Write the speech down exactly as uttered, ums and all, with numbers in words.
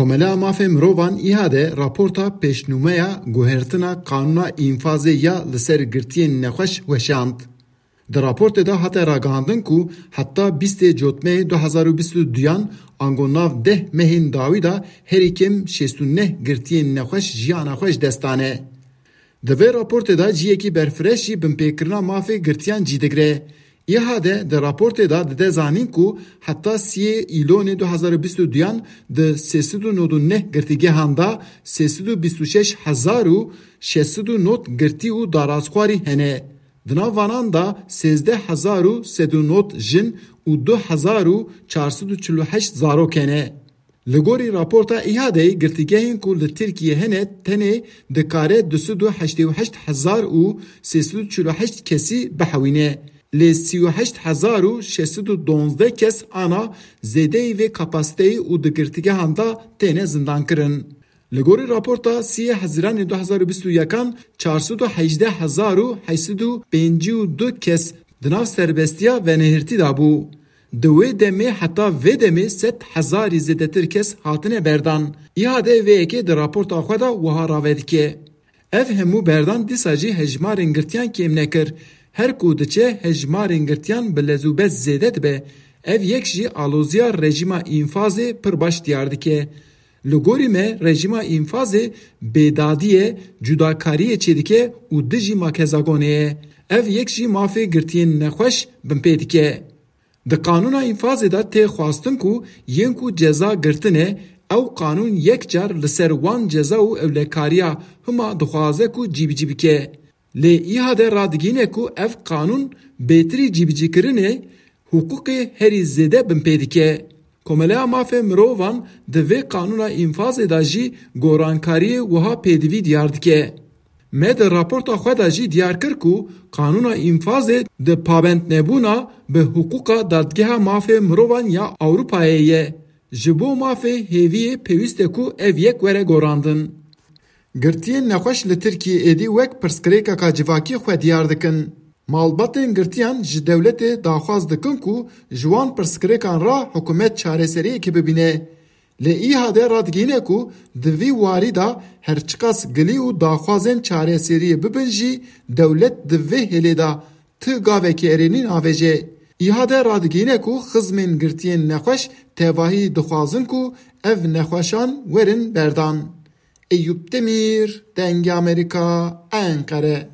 Komeleya Mafê Mirovan, İHA'de, raporta pêşnûmeya guhertina qanûna înfazê ya li ser girtiyên nexweş weşand. Di raportê de hate ragihandin ku heta bîstê Cotmeyê du hezar û bîst û duyan, ango nav deh mehên dawî de, herî kêm şêst û neh girtiyên nexweş jiyana xwe ji dest dane. Di vê raportê de cihekî berfireh jî binpêkirina mafê girtiyan cî digire. İHA'de di raportê de dide zanîn ku heta siyê Îlonê du hezar û bîst û duyan di sê sed û nod û neh girtîgehan de sê sed û bîst û şeş hezar û şeş sed û nod girtî û darazxwarî hene. Di nav vanan de sêzdeh hezar û sed û nod jin û du hezar û çar sed û çil û heşt zarok hene. Li gorî raporta İHA'deyê, girtîgehên ku li Tirkiyê hene tenê dikare du sed û heştê û heşt hezar û sê sed û çil û heşt kesî bihewîne. Lê sî û heşt hezar û şeş sed û duwazdeh kes ana zêdeyî vê kapasiteyê û di girtîgehan de têne zindankirin. Li gorî raporta siyê Hezîranê du hezar û bîst û yekan, çar sed û hejdeh hezar û heşt sed û pêncî û du kes di nav serbestiya venehirtî de bû. Di wê demê heta vê demê sed hezarî zêdetir kes hatine berdan. İHA'de vê yekê di raporta xwe de wiha rave dike: Ev hemû berdan dîsa jî hejmarên girtiyan kêm nekir. Her ku diçe hejmarên girtiyan bi lez û bez zêde dibe. Ev yek jî aloziya rejîma înfazê pir baş diyar dike. Li gorî me, rejîma înfazê bêdadiyê, cudakariyê çêdike û dijî makezagonê ye. Ev yek jî mafê girtiyên nexweş binpê dike. Di qanûna înfazê de tê xwestin ku yên ku ceza girtine, ew qanûn yek car li ser wan ceza û ewlekariya hima dixwaze ku cîbicî bike. Lê İHA'de radigihîne ku ev qanûn bêtirî cîbicîkirinê hiqûqê herî zêde binpê dike. Komeleya Mafê Mirovan di vê qanûna înfazê de jî gorankariyê wiha pêdivî diyar dike: Me di raporta xwe de jî diyar kir ku qanûna înfazê di pabendnebûna bi hiqûqa Dadgeha Mafê Mirovan ya Ewropayê ye. Ji bo mafê hêviyê pêwîst e ku ev yek were gorandin. Girtiyên nexweş li Tirkiyê êdî wek pirsgirêkeka civakî xwe diyar dikin. Malbatên girtiyan ji dewletê daxwaz dikin ku ji wan pirsgirêkan re hikûmet çareseriyekê bibîne. Lê İHA'de radigihîne ku di vî warî de her çiqas gilî û daxwazên çareseriyê bibin jî, dewlet di vê hêlê de ti gavekî erênî navêje. İHA'de radigihîne ku xizmên girtiyên nexweş tevahî dixwazin ku ev nexweşan werin berdan. Eyûp Demîr, Dengê Amerîka, Enqere.